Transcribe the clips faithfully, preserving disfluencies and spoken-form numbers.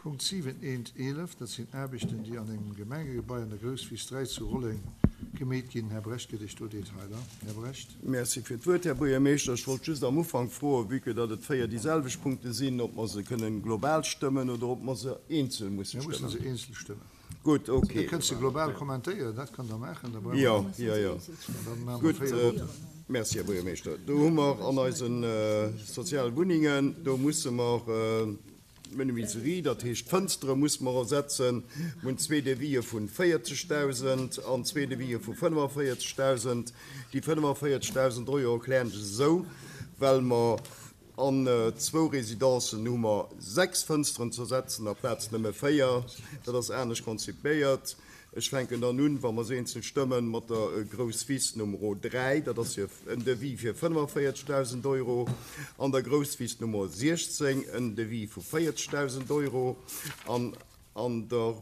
Punkt siwen eent eelef, dat sinn Aarbechten, déi an engem Gemengegebai an der Grousswiss dräi zu Rolleng gemeet ginn. Här Brecht gëtt Iech do Detailer. Här Brecht. Merci fir d'Wuert, Här Buergermeeschter. Ech wollt just am Ufank froen, vue que datt et véier déi selwecht Punkte sinn, ob mer se kënnen global stëmmen oder ob mer se eenzel musse Mir mussen stëmmen. se eenzel stëmmen. Gutt, Dir okay. kënnt se global kommentéieren, dat kënnt Der maachen, da brauche Jo, mer, jo, jo. dann maache mer Gutt, véier Voten. merci, Här Buergermeeschter. Do hu mer an eise soziale Wunnengen, do musse mer d'Menuiserie, dat heescht d'Fënstere musse mer ersetzen. Mir hunn zwee Devisë vu véierzegdausend an zwee Devisë vu fënnefenvéierzegdausend. Déi fënnefenvéierzegdausend Euro erklären ech esou, well mer an zwou Residencen hu mer sechs Fënsteren ze ersetzen aplaz nëmme véier. Dat ass anescht konzipéiert. Ech fänken dann un, wa mer se eenzel stëmmen, mat der Grousswiss Nummer dräi, dat ass fir en Devis fir fënnefenvéierzegdausend Euro, an der Grousswiss Nummer siechzéng en Devis vu véierzegdausend Euro, an an der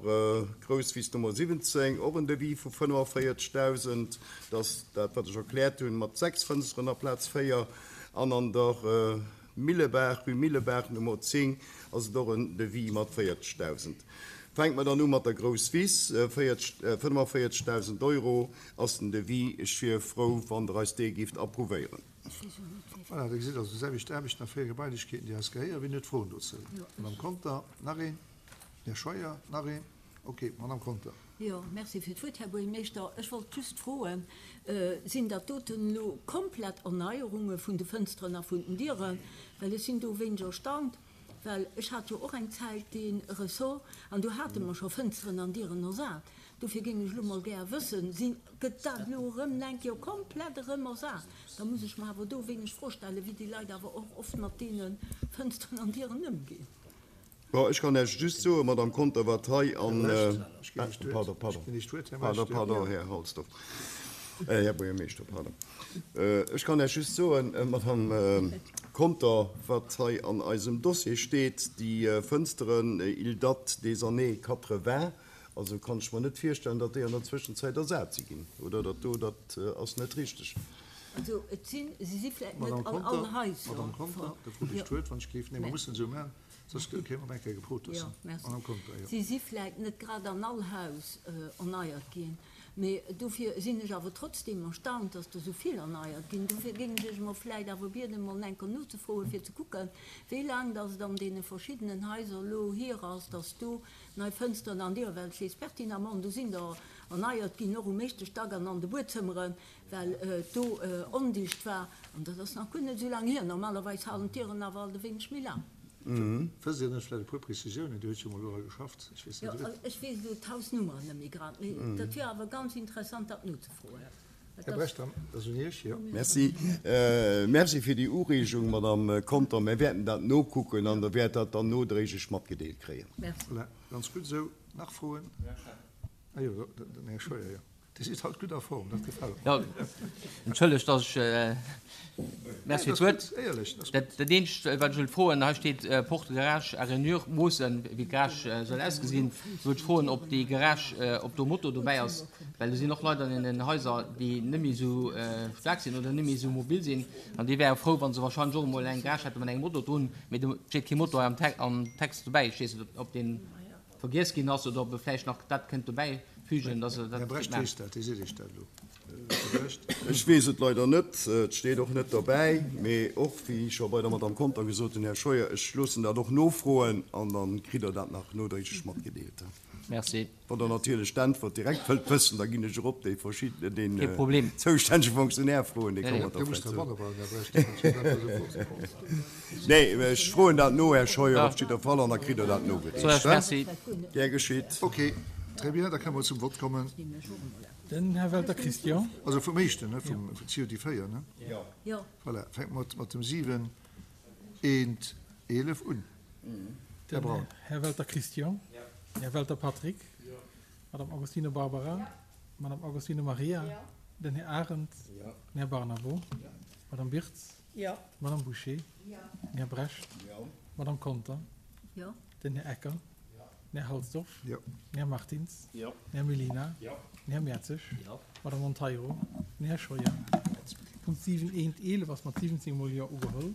Grousswiss Nummer siwwenzéng och en Devis vu fënnefenvéierzegdausend, dat ass dat, wat ech erkläert hunn, mat sechs Fënsteren aplaz véier, an an der Millebaach, Rue Millebaach Nummer zéng, ass et och en Devis mat véierzegdausend. Fänke mer dann u mat der Grousswiss, fënnefenvéierzegdausend Euro ass den Devis. Ech wier frou, wann Der eis dee géift approuvéieren. Voilà, da gesitt also déi selwecht Aarbechten a véier Gebailechkeeten, déi eis gehéieren. Wien huet Froen dozou? Madame Conter, nach een? Här Scheuer, nach een? Ok, Madame Conter. Jo, merci fir d'Wuert, Här Buergermeeschter. Ech wollt just froen, sinn dat doten elo komplett Erneierunge vun de Fënsteren a vun den Dieren? Well ech sinn do wéineg erstaunt, well ech hat jo och eng Zäit dee Ressort an do hate mer scho Fënsteren an Dieren ersat. Dofir géing ech elo mol gär wëssen, sinn, gëtt dat elo erëm eng Kéier komplett erëm ersat? Da muss ech mer awer do wéineg Fro stellen, wéi déi Leit awer och oft mat deene Fënsteren an Dieren ëmginn. Bon, ech kann Iech just soen, Madame Conter, wat hei an, Här Brecht, ech ginn Iech d'Wuert. Pardon, pardon. Ech ginn Iech d'Wuert, Här Pardon, Brecht. pardon, Här Halsdorf. Här Buergermeeschter, pardon. Ech kann Iech just soen, Madame Conter, wat hei an eisem Dossier steet, déi Fënsteren, ils datent des années quatre-vingts, also kann ech mer net virstellen, datt déi an der Zwëschenzäit ersat si ginn, oder? Dat do, dat ass net richteg. Also et sinn, si si vläicht net Madame an Conter, allen Haiser. Madame Conter, da frot Iech Jo. d'Wuert, wann ech géif. Nee, mer mussen esou maachen, soss kéime mer eng Kéier gefrot Jo, dozou. merci. Madame Conter, jo. Si si vläicht net grad an all Haus erneiert ginn, mee dofir sinn ech awer trotzdem erstaunt, dass der esou vill erneiert ginn. Dofir géing ech Iech emol vläicht awer bieden, emol eng Kéier nozefroen, fir ze kucken, wéi laang dass et an deene verschiddenen Haiser elo hier ass, dass do nei Fënsteren an Dieren, well ech weess pertinemment, do sinn der erneiert ginn, och um éischte Stack an an de Buedzëmmeren, well et do ondicht war. An dat ass nach guer net esou laang hier. Normalerweis halen d'Dieren awer alt e wéineg méi laang. Wësst Dir net vläicht e puer Prezisiounen? Dir hutt jo emol dora geschafft. Ech weess Jo, net. ech weess elo d'Hausnummeren net méi grad, mee dat wier awer ganz interessant, dat nozefroen. Här Brecht, dann ass un Iech, jo. Merci. Merci fir déi Ureegung, Madame Conter. Mir wäerten dat nokucken an Der wäert dat dann nodréiglech matgedeelt kréien. Merci. Voilà, ganz gutt esou. Nach Froen? Ah jo, den Här Scheuer, jo. Dir sidd haut gutt a Form, dat gefält mer. Jo, entschëllegt, dass ech, merci fir d'Wuert. Éierlech, dat ass gutt. Dat eenzegt, wat ech wëllt froen, hei steet Porte garage à rainure, moossen, wéi d'Garage soll ausgesinn. Do wëllt ech froen, ob déi Garage, ob do Moto dobäi ass, well do sinn och Leit an deenen Haiser, déi net méi esou staark sinn oder net méi esou mobil sinn, an déi wäre frou, wa se wahrscheinlech och emol eng Garage hätte mat engem Moto drun. Mee do steet kee Moto hei am Text dobäi. Ech weess net, ob deen vergiess ginn ass oder ob e vläicht nach dat kënnt dobäi fügen, dass e dat Här Brecht kéint maachen. weess dat, dee seet Iech dat elo. Här Brecht. Ech weess et leider net, et steet och net derbäi, mee och, wéi scho bei der Madame Conter gesot hunn, Här Scheuer, ech loossen dat och nofroen an da kritt Der dat nach nodréiglech matgedeelt. Merci. Wann Der natierlech d'Äntwert direkt wëllt wëssen, da ginn ech erop dee verschiddene, deen Kee Problem. zoustännege Fonctionnaire froen, dee Nee, kann nee. mer da Dir musst vläicht soen. derbanne bleiwen, Här Brecht, dat ass jo dat, wat esou Nee, ech froen dat no, Här Scheuer, Ja. op jidder Fall, an da kritt Der dat So, nogereecht. Merci. Gär geschitt. Ok, très bien, da kënne mer zum Vott kommen. Den Här Welter Christian. Also vum éischten, ne, vum C O D véier, ne? Jo. Voilà, fänke mer mat dem siwen eent eelef un. Här Den Braun. Här Welter Christian. Här Welter Patrick. Madame Agostino Barbara. Madame Agostino Maria. Den Här Arendt. Den Här Barnabo. Madame Birtz. Madame Boucher. Den Här Brecht. Madame Conter. Jo. Den Här Ecker. Den Här Halsdorf. Jo. Den Här Martins. Den Här Mellina. Den Här Mertzig. Madame Monteiro. Den Här Scheuer. Punkt siwen eent eelef ass mat siwwenzéng mol Jo ugeholl.